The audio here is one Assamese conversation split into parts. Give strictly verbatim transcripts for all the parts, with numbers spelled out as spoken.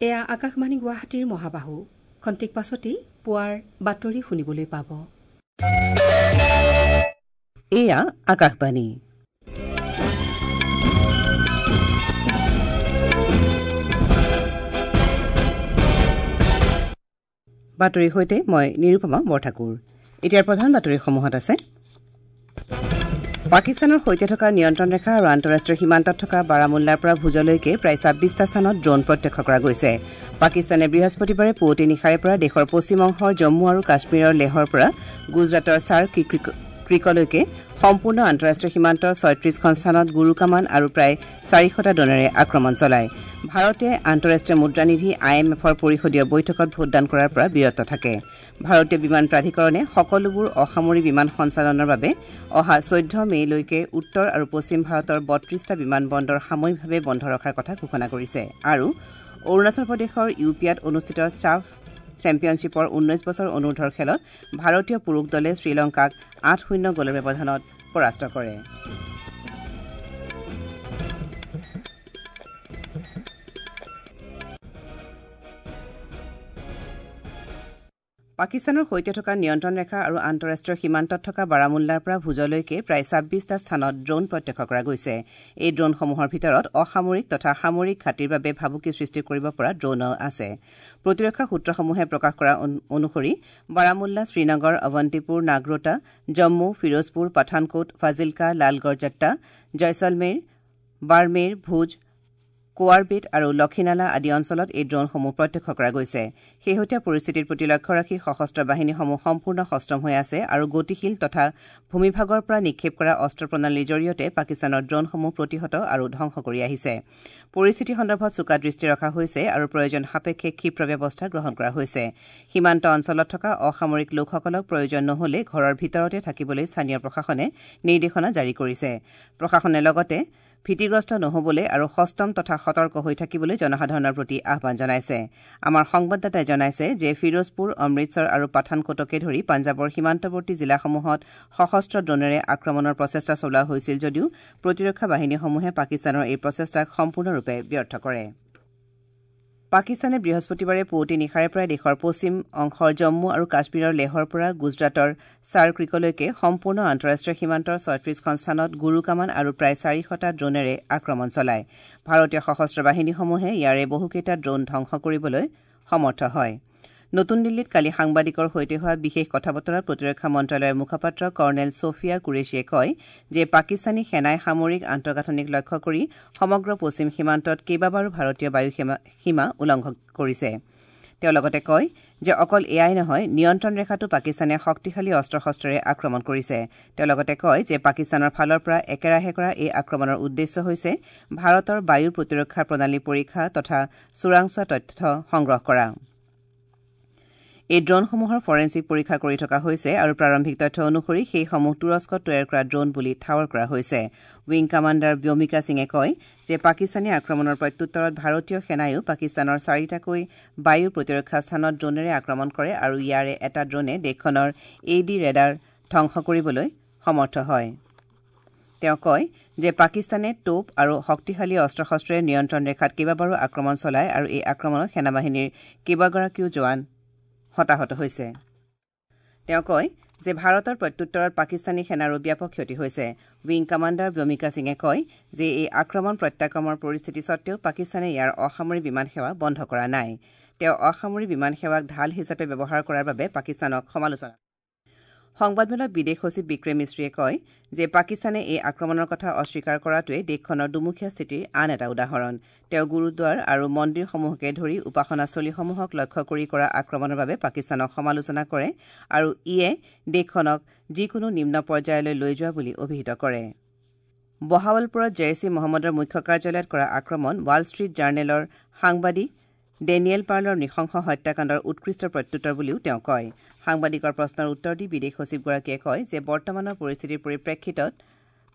এয়া আকাশবাণী গুৱাহাটীৰ মহাবাহু। খন্তেক পাছতেই পুৱাৰ বাতৰি শুনিবলৈ পাব। এয়া আকাশবাণী। বাতৰিৰ সৈতে মই নিৰুপমা বৰঠাকুৰ। এতিয়াৰ প্ৰধান বাতৰিসমূহত আছে পাকিস্তানৰ সৈতে থকা নিয়ন্ত্ৰণ ৰেখা আৰু আন্তঃৰাষ্ট্ৰীয় সীমান্তত থকা বাৰামুল্লাৰ পৰা ভুজলৈকে প্ৰায় ছাব্বিছটা স্থানত ড্ৰোন প্ৰত্যক্ষ কৰা গৈছে। পাকিস্তানে বৃহস্পতিবাৰে পুৱতি নিশাৰে পৰা দেশৰ পশ্চিম অংশৰ জম্মু আৰু কাশ্মীৰৰ লেহৰ পৰা গুজৰাটৰ ছাৰ ক্ৰিকলৈকে সম্পূৰ্ণ আন্তঃৰাষ্ট্ৰীয় সীমান্তৰ ছয়ত্ৰিশখন স্থানত গুৰুকামান আৰু প্ৰায় চাৰিশটা ড্ৰোনেৰে আক্ৰমণ চলায়। ভাৰতে আন্তঃৰাষ্ট্ৰীয় মুদ্ৰানিধি I am এফৰ পৰিষদীয় বৈঠকত ভোটদান কৰাৰ পৰা বিৰত থাকে। ভাৰতীয় বিমান প্ৰাধিকৰণে সকলোবোৰ অসামৰিক বিমান সঞ্চালনৰ বাবে অহা চৈধ্য মে'লৈকে উত্তৰ আৰু পশ্চিম ভাৰতৰ বত্ৰিশটা বিমান বন্দৰ সাময়িকভাৱে বন্ধ ৰখাৰ কথা ঘোষণা কৰিছে। আৰু অৰুণাচল প্ৰদেশৰ ইউপিয়াত অনুষ্ঠিত ছাফ চেম্পিয়নশ্বিপৰ ঊনৈশ বছৰ অনুৰ্ধৰ খেলত ভাৰতীয় পুৰুষ দলে শ্ৰীলংকাক আঠ শূন্য গ'লৰ ব্যৱধানত পৰাস্ত কৰে। পাকিস্তানৰ সৈতে থকা নিয়ন্ত্ৰণ ৰেখা আৰু আন্তঃৰাষ্ট্ৰীয় সীমান্তত থকা বাৰামুল্লাৰ পৰা ভুজলৈকে প্ৰায় ছাব্বিছটা স্থানত ড্ৰোন প্ৰত্যক্ষ কৰা গৈছে। এই ড্ৰোনসমূহৰ ভিতৰত অসামৰিক তথা সামৰিক ঘাটিৰ বাবে ভাবুকি সৃষ্টি কৰিব পৰা ড্ৰোনো আছে। প্ৰতিৰক্ষা সূত্ৰসমূহে প্ৰকাশ কৰা অনুসৰি বাৰামুল্লা, শ্ৰীনগৰ, অৱন্তিপুৰ, নাগৰোটা, জম্মু, ফিৰোজপুৰ, পাঠানকোট, ফাজিলকা, লালগড় জট্টা, জয়ছলমেৰ, বাৰমেৰ, ভুজ, কোৱাৰবেট আৰু লক্ষীনালা আদি অঞ্চলত এই ড্ৰোনসমূহ প্ৰত্যক্ষ কৰা গৈছে। শেহতীয়া পৰিস্থিতিৰ প্ৰতি লক্ষ্য ৰাখি সশস্ত্ৰ বাহিনীসমূহ সম্পূৰ্ণ সষ্টম হৈ আছে আৰু গতিশীল তথা ভূমিভাগৰ পৰা নিক্ষেপ কৰা অস্ত্ৰ প্ৰণালীৰ জৰিয়তে পাকিস্তানৰ ড্ৰোনসমূহ প্ৰতিহত আৰু ধ্বংস কৰি আহিছে। পৰিস্থিতি সন্দৰ্ভত চোকা দৃষ্টি ৰখা হৈছে আৰু প্ৰয়োজন সাপেক্ষে ক্ষীপ্ৰ ব্যৱস্থা গ্ৰহণ কৰা হৈছে। সীমান্ত অঞ্চলত থকা অসামৰিক লোকসকলক প্ৰয়োজন নহ'লে ঘৰৰ ভিতৰতে থাকিবলৈ স্থানীয় প্ৰশাসনে নিৰ্দেশনা জাৰি কৰিছে। প্ৰশাসনে লগতে ভীতিগ্ৰস্ত নহ'বলৈ আৰু সষ্টম তথা সতৰ্ক হৈ থাকিবলৈ জনসাধাৰণৰ প্ৰতি আহ্বান জনাইছে। আমাৰ সংবাদদাতাই জনাইছে যে ফিৰোজপুৰ, অমৃতসৰ আৰু পাঠানকোটকে ধৰি পাঞ্জাৱৰ সীমান্তৱৰ্তী জিলাসমূহত সশস্ত্ৰ ড্ৰোনেৰে আক্ৰমণৰ প্ৰচেষ্টা চলোৱা হৈছিল যদিও প্ৰতিৰক্ষা বাহিনীসমূহে পাকিস্তানৰ এই প্ৰচেষ্টাক সম্পূৰ্ণৰূপে ব্যৰ্থ কৰে। পাকিস্তানে বৃহস্পতিবাৰে পুৱতি নিশাৰে পৰা দেশৰ পশ্চিম অংশৰ জম্মু আৰু কাশ্মীৰৰ লেহৰ পৰা গুজৰাটৰ ছাৰ ক্ৰিকলৈকে সম্পূৰ্ণ আন্তঃৰাষ্ট্ৰীয় সীমান্তৰ ছয়ত্ৰিশখন স্থানত গুৰুকামান আৰু প্ৰায় চাৰিশটা ড্ৰোনেৰে আক্ৰমণ চলায়। ভাৰতীয় সশস্ত্ৰ বাহিনীসমূহে ইয়াৰে বহুকেইটা ড্ৰোন ধ্বংস কৰিবলৈ সমৰ্থ হয়। নতুন দিল্লীত কালি সাংবাদিকৰ সৈতে হোৱা বিশেষ কথা বতৰাত প্ৰতিৰক্ষা মন্ত্ৰালয়ৰ মুখপাত্ৰ কৰ্ণেল ছফিয়া কুৰেছিয়ে কয় যে পাকিস্তানী সেনাই সামৰিক আন্তঃগাঁথনিক লক্ষ্য কৰি সমগ্ৰ পশ্চিম সীমান্তত কেইবাবাৰো ভাৰতীয় বায়ু সীমা উলংঘন কৰিছে। তেওঁ লগতে কয় যে অকল এয়াই নহয়, নিয়ন্ত্ৰণ ৰেখাটো পাকিস্তানে শক্তিশালী অস্ত্ৰ শস্ত্ৰেৰে আক্ৰমণ কৰিছে। তেওঁ লগতে কয় যে পাকিস্তানৰ ফালৰ পৰা একেৰাহে কৰা এই আক্ৰমণৰ উদ্দেশ্য হৈছে ভাৰতৰ বায়ু প্ৰতিৰক্ষা প্ৰণালী পৰীক্ষা তথা চোৰাংচোৱা তথ্য সংগ্ৰহ কৰা। এই ড্ৰোনসমূহৰ ফৰেনছিক পৰীক্ষা কৰি থকা হৈছে আৰু প্ৰাৰম্ভিক তথ্য অনুসৰি সেইসমূহ তুৰস্কত তৈয়াৰ কৰা ড্ৰোন বুলি ঠাৱৰ কৰা হৈছে। উইং কামাণ্ডাৰ ব্যোমিকা সিঙে কয় যে পাকিস্তানী আক্ৰমণৰ প্ৰত্যুত্তৰত ভাৰতীয় সেনাইও পাকিস্তানৰ চাৰিটাকৈ বায়ু প্ৰতিৰক্ষা স্থানত ড্ৰোনেৰে আক্ৰমণ কৰে আৰু ইয়াৰে এটা ড্ৰোনে দেশখনৰ এ ডি ৰেডাৰ ধ্বংস কৰিবলৈ সমৰ্থ হয়। তেওঁ কয় যে পাকিস্তানে টোপ আৰু শক্তিশালী অস্ত্ৰ শস্ত্ৰেৰে নিয়ন্ত্ৰণ ৰেখাত কেইবাবাৰো আক্ৰমণ চলায় আৰু এই আক্ৰমণত সেনাবাহিনীৰ কেইবাগৰাকীও জোৱান হতাহত হৈছে। তেওঁ কয় যে ভাৰতৰ প্ৰত্যুত্তৰত পাকিস্তানী সেনাৰো ব্যাপক ক্ষতি হৈছে। উইং কামাণ্ডাৰ ব্যোমিকা সিঙে কয় যে এই আক্ৰমণ প্ৰত্যাক্ৰমৰ পৰিস্থিতি সত্ত্বেও পাকিস্তানে ইয়াৰ অসামৰিক বিমান সেৱা বন্ধ কৰা নাই। তেওঁ অসামৰিক বিমান সেৱাক ঢাল হিচাপে ব্যৱহাৰ কৰাৰ বাবে পাকিস্তানক সমালোচনা। সংবাদমেলত বিদেশ সচিব বিক্ৰম মিশ্ৰীয়ে কয় যে পাকিস্তানে এই আক্ৰমণৰ কথা অস্বীকাৰ কৰাটোৱে দেশখনৰ দুমুখীয়া স্থিতিৰ আন এটা উদাহৰণ। তেওঁ গুৰুদ্বাৰ আৰু মন্দিৰসমূহকে ধৰি উপাসনাস্থলীসমূহক লক্ষ্য কৰি কৰা আক্ৰমণৰ বাবে পাকিস্তানক সমালোচনা কৰে আৰু ইয়ে দেশখনক যিকোনো নিম্ন পৰ্যায়লৈ লৈ যোৱা বুলি অভিহিত কৰে। বহাৱালপুৰত জেইছ ই মহম্মদৰ মুখ্য কাৰ্যালয়ত কৰা আক্ৰমণ ৱাল ষ্ট্ৰীট জাৰ্নেলৰ সাংবাদিক ডেনিয়েল পাৰ্লৰ নৃশংস হত্যাকাণ্ডৰ উৎকৃষ্ট প্ৰত্যুত্তৰ বুলিও তেওঁ কয়। সাংবাদিকৰ প্ৰশ্নৰ উত্তৰ দি বিদেশ সচিবগৰাকীয়ে কয় যে বৰ্তমানৰ পৰিস্থিতিৰ পৰিপ্ৰেক্ষিতত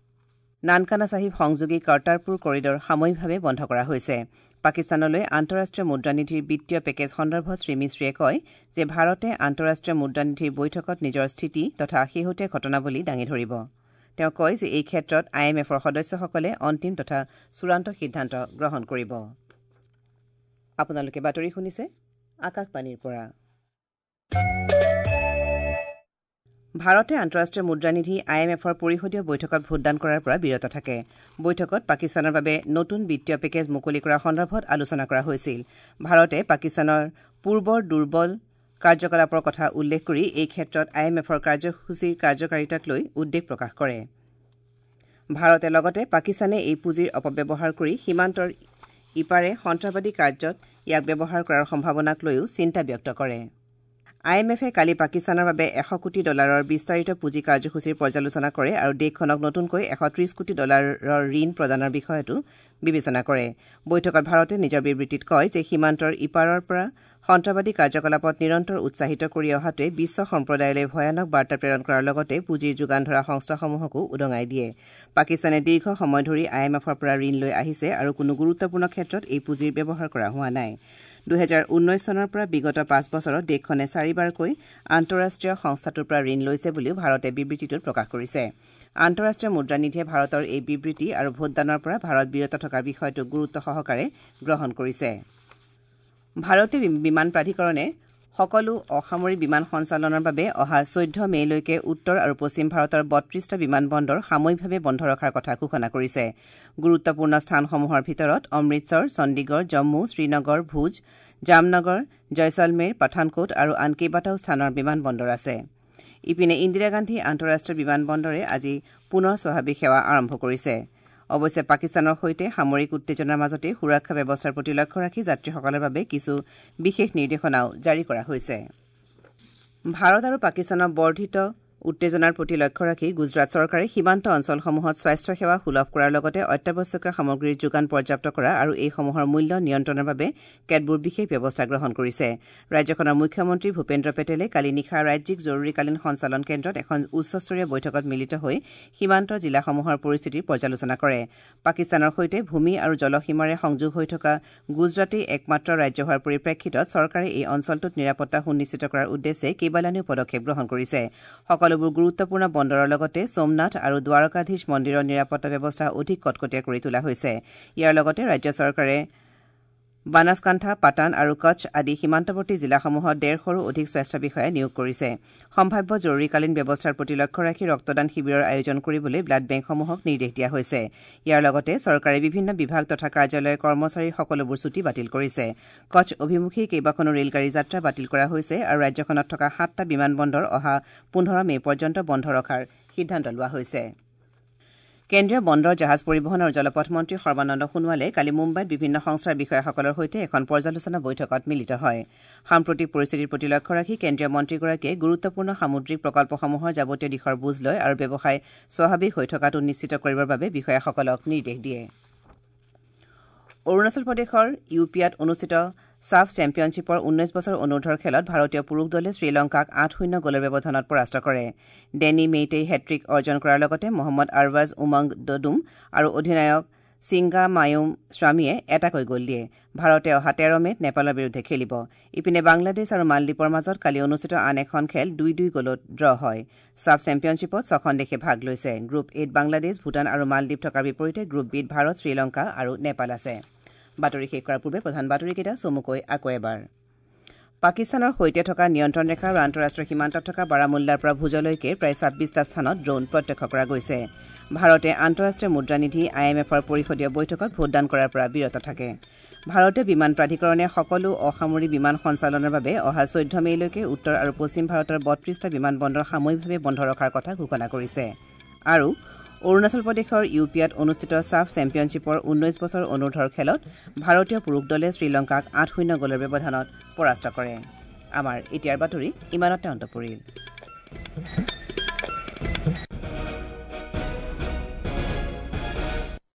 নানকানা চাহিব সংযোগী কৰ্তাৰপুৰ কৰিডৰ সাময়িকভাৱে বন্ধ কৰা হৈছে। পাকিস্তানলৈ আন্তঃৰাষ্ট্ৰীয় মুদ্ৰানিধিৰ বিত্তীয় পেকেজ সন্দৰ্ভত শ্ৰীমিশ্ৰীয়ে কয় যে ভাৰতে আন্তঃৰাষ্ট্ৰীয় মুদ্ৰানিধিৰ বৈঠকত নিজৰ স্থিতি তথা শেহতীয়া ঘটনাৱলী দাঙি ধৰিব। তেওঁ কয় যে এই ক্ষেত্ৰত I am এফৰ সদস্যসকলে অন্তিম তথা চূড়ান্ত সিদ্ধান্ত গ্ৰহণ কৰিব। আপোনালোকে বাতৰি শুনিছে আকাশবাণীৰ পৰা। ভাৰতে আন্তঃৰাষ্ট্ৰীয় মুদ্ৰানিধি I am এফৰ পৰিষদীয় বৈঠকত ভোটদান কৰাৰ পৰা বিৰত থাকে। বৈঠকত পাকিস্তানৰ বাবে নতুন বিত্তীয় পেকেজ মুকলি কৰা সন্দৰ্ভত আলোচনা কৰা হৈছিল। ভাৰতে পাকিস্তানৰ পূৰ্বৰ দুৰ্বল কাৰ্যকলাপৰ কথা উল্লেখ কৰি এই ক্ষেত্ৰত I am এফৰ কাৰ্যসূচীৰ কাৰ্যকাৰিতাক লৈ উদ্বেগ প্ৰকাশ কৰে। ভাৰতে লগতে পাকিস্তানে এই পুঁজিৰ অপব্যৱহাৰ কৰি সীমান্তৰ ইপাৰে সন্ত্ৰাসবাদী কাৰ্যত ইয়াক ব্যৱহাৰ কৰাৰ সম্ভাৱনাক লৈও চিন্তা ব্যক্ত কৰে। I am এফে কালি পাকিস্তানৰ বাবে এশ কোটি ডলাৰৰ বিস্তাৰিত পুঁজি কাৰ্যসূচীৰ পৰ্যালোচনা কৰে আৰু দেশখনক নতুনকৈ এশ ত্ৰিশ কোটি ডলাৰৰ ঋণ প্ৰদানৰ বিষয়টো বিবেচনা কৰে। বৈঠকত ভাৰতে নিজৰ বিবৃতিত কয় যে সীমান্তৰ ইপাৰৰ পৰা সন্ত্ৰাসবাদী কাৰ্যকলাপত নিৰন্তৰ উৎসাহিত কৰি অহাটোৱে বিশ্ব সম্প্ৰদায়লৈ ভয়ানক বাৰ্তা প্ৰেৰণ কৰাৰ লগতে পুঁজিৰ যোগান ধৰা সংস্থাসমূহকো উদঙাই দিয়ে। পাকিস্তানে দীৰ্ঘ সময় ধৰি I am এফৰ পৰা ঋণ লৈ আহিছে আৰু কোনো গুৰুত্বপূৰ্ণ ক্ষেত্ৰত এই পুঁজিৰ ব্যৱহাৰ কৰা হোৱা নাই। দুহেজাৰ ঊনৈশ চনৰ পৰা বিগত পাঁচ বছৰত দেশখনে চাৰিবাৰকৈ আন্তঃৰাষ্ট্ৰীয় সংস্থাটোৰ পৰা ঋণ লৈছে বুলিও ভাৰতে বিবৃতিটোত প্ৰকাশ কৰিছে। আন্তঃৰাষ্ট্ৰীয় মুদ্ৰানিধিয়ে ভাৰতৰ এই বিবৃতি আৰু ভোটদানৰ পৰা ভাৰত বিৰত থকাৰ বিষয়টো গুৰুত্ব সহকাৰে গ্ৰহণ কৰিছে। ভাৰতীয় বিমান প্ৰাধিকৰণে সকলো অসামৰিক বিমান সঞ্চালনৰ বাবে অহা চৈধ্য মে'লৈকে উত্তৰ আৰু পশ্চিম ভাৰতৰ বত্ৰিশটা বিমানবন্দৰ সাময়িকভাৱে বন্ধ ৰখাৰ কথা ঘোষণা কৰিছে। গুৰুত্বপূৰ্ণ স্থানসমূহৰ ভিতৰত অমৃতসৰ, চণ্ডীগড়, জম্মু, শ্ৰীনগৰ, ভুজ, জামনগৰ, জয়ছলমেৰ, পাঠানকোট আৰু আন কেইবাটাও স্থানৰ বিমানবন্দৰ আছে। ইপিনে ইন্দিৰা গান্ধী আন্তঃৰাষ্ট্ৰীয় বিমানবন্দৰে আজি পুনৰ স্বাভাৱিক সেৱা আৰম্ভ কৰিছে। অৱশ্যে পাকিস্তানৰ সৈতে সামৰিক উত্তেজনাৰ মাজতে সুৰক্ষা ব্যৱস্থাৰ প্ৰতি লক্ষ্য ৰাখি যাত্ৰীসকলৰ বাবে কিছু বিশেষ নিৰ্দেশনাও জাৰি কৰা হৈছে। ভাৰত আৰু পাকিস্তানৰ বৰ্ধিত উত্তেজনাৰ প্ৰতি লক্ষ্য ৰাখি গুজৰাট চৰকাৰে সীমান্ত অঞ্চলসমূহত স্বাস্থ্য সেৱা সুলভ কৰাৰ লগতে অত্যাৱশ্যকীয় সামগ্ৰীৰ যোগান পৰ্যাপ্ত কৰা আৰু এইসমূহৰ মূল্য নিয়ন্ত্ৰণৰ বাবে কেতবোৰ বিশেষ ব্যৱস্থা গ্ৰহণ কৰিছে। ৰাজ্যখনৰ মুখ্যমন্ত্ৰী ভূপেন্দ্ৰ পেটেলে কালি নিশা ৰাজ্যিক জৰুৰীকালীন সঞ্চালন কেন্দ্ৰত এখন উচ্চস্তৰীয় বৈঠকত মিলিত হৈ সীমান্ত জিলাসমূহৰ পৰিস্থিতিৰ পৰ্যালোচনা কৰে। পাকিস্তানৰ সৈতে ভূমি আৰু জলসীমাৰে সংযোগ হৈ থকা গুজৰাটেই একমাত্ৰ ৰাজ্য হোৱাৰ পৰিপ্ৰেক্ষিতত চৰকাৰে এই অঞ্চলটোত নিৰাপত্তা সুনিশ্চিত কৰাৰ উদ্দেশ্যে কেইবালানিও পদক্ষেপ গ্ৰহণ কৰিছে। সকলোবোৰ গুৰুত্বপূৰ্ণ বন্দৰৰ লগতে সোমনাথ আৰু দ্বাৰকাধীশ মন্দিৰৰ নিৰাপত্তা ব্যৱস্থা অধিক কটকটীয়া কৰি তোলা হৈছে। ইয়াৰ লগতে ৰাজ্য চৰকাৰে বানাছকাণ্ঠা, পাটান আৰু কচ্ছ আদি সীমান্তৱৰ্তী জিলাসমূহত ডেৰশৰো অধিক স্বাস্থ্য বিষয়া নিয়োগ কৰিছে। সম্ভাৱ্য জৰুৰীকালীন ব্যৱস্থাৰ প্ৰতি লক্ষ্য ৰাখি ৰক্তদান শিবিৰৰ আয়োজন কৰিবলৈ ব্লাড বেংকসমূহক নিৰ্দেশ দিয়া হৈছে। ইয়াৰ লগতে চৰকাৰে বিভিন্ন বিভাগ তথা কাৰ্যালয়ৰ কৰ্মচাৰীৰ সকলোবোৰ ছুটী বাতিল কৰিছে। কচ্ছ অভিমুখী কেইবাখনো ৰেলগাড়ী যাত্ৰা বাতিল কৰা হৈছে আৰু ৰাজ্যখনত থকা সাতটা বিমানবন্দৰ অহা পোন্ধৰ মে পৰ্যন্ত বন্ধ ৰখাৰ সিদ্ধান্ত লোৱা হৈছে। কেন্দ্ৰীয় বন্দৰ, জাহাজ পৰিবহণ আৰু জলপথ মন্ত্ৰী সৰ্বানন্দ সোণোৱালে কালি মুম্বাইত বিভিন্ন সংস্থাৰ বিষয়াসকলৰ সৈতে এখন পৰ্যালোচনা বৈঠকত মিলিত হয়। সাম্প্ৰতিক পৰিস্থিতিৰ প্ৰতি লক্ষ্য ৰাখি কেন্দ্ৰীয় মন্ত্ৰীগৰাকীয়ে গুৰুত্বপূৰ্ণ সামুদ্ৰিক প্ৰকল্পসমূহৰ যাৱতীয় দিশৰ বুজ লয় আৰু ব্যৱসায় স্বাভাৱিক হৈ থকাটো নিশ্চিত কৰিবৰ বাবে বিষয়াসকলক নিৰ্দেশ দিয়ে। অৰুণাচল প্ৰদেশৰ ইউপিয়াত অনুষ্ঠিত ছাফ চেম্পিয়নশ্বিপৰ ঊনৈশ বছৰ অনুৰ্ধৰ খেলত ভাৰতীয় পুৰুষ দলে শ্ৰীলংকাক আঠ শূন্য গ'লৰ ব্যৱধানত পৰাস্ত কৰে। ডেনি মেইটেই হেট্ৰিক অৰ্জন কৰাৰ লগতে মহম্মদ আৰৱাজ উমং দদুম আৰু অধিনায়ক ছিংগামায়ুম স্বামীয়ে এটাকৈ গ'ল দিয়ে। ভাৰতে অহা তেৰ মে'ত নেপালৰ বিৰুদ্ধে খেলিব। ইপিনে বাংলাদেশ আৰু মালদ্বীপৰ মাজত কালি অনুষ্ঠিত আন এখন খেল দুই দুই গ'লত ড্ৰ হয়। ছাফ চেম্পিয়নশ্বিপত ছখন দেশে ভাগ লৈছে। গ্ৰুপ এত বাংলাদেশ, ভূটান আৰু মালদ্বীপ থকাৰ বিপৰীতে গ্ৰুপ বিত ভাৰত, শ্ৰীলংকা আৰু নেপাল আছে। বাতৰি শেষ কৰাৰ পূৰ্বে প্ৰধান বাতৰিকেইটা চমুকৈ আকৌ এবাৰ। পাকিস্তানৰ সৈতে থকা নিয়ন্ত্ৰণ ৰেখা আৰু আন্তঃৰাষ্ট্ৰীয় সীমান্তত থকা বাৰামুল্লাৰ পৰা ভুজলৈকে প্ৰায় ছাব্বিছটা স্থানত ড্ৰোন প্ৰত্যক্ষ কৰা গৈছে। ভাৰতে আন্তঃৰাষ্ট্ৰীয় মুদ্ৰানিধি I am এফৰ পৰিষদীয় বৈঠকত ভোটদান কৰাৰ পৰা বিৰত থাকে। ভাৰতীয় বিমান প্ৰাধিকৰণে সকলো অসামৰিক বিমান সঞ্চালনৰ বাবে অহা চৈধ্য মে'লৈকে উত্তৰ আৰু পশ্চিম ভাৰতৰ বত্ৰিশটা বিমানবন্দৰ সাময়িকভাৱে বন্ধ ৰখাৰ কথা ঘোষণা কৰিছে। আৰু অৰুণাচল প্ৰদেশৰ ইউপিয়াত অনুষ্ঠিত ছাফ চেম্পিয়নশ্বিপৰ ঊনৈশ বছৰ অনুৰ্ধৰ খেলত ভাৰতীয় পুৰুষ দলে শ্ৰীলংকাক আঠ শূন্য গ'লৰ ব্যৱধানত পৰাস্ত কৰে। আমাৰ এতিয়াৰ বাতৰি ইমানতে অন্ত পৰিল।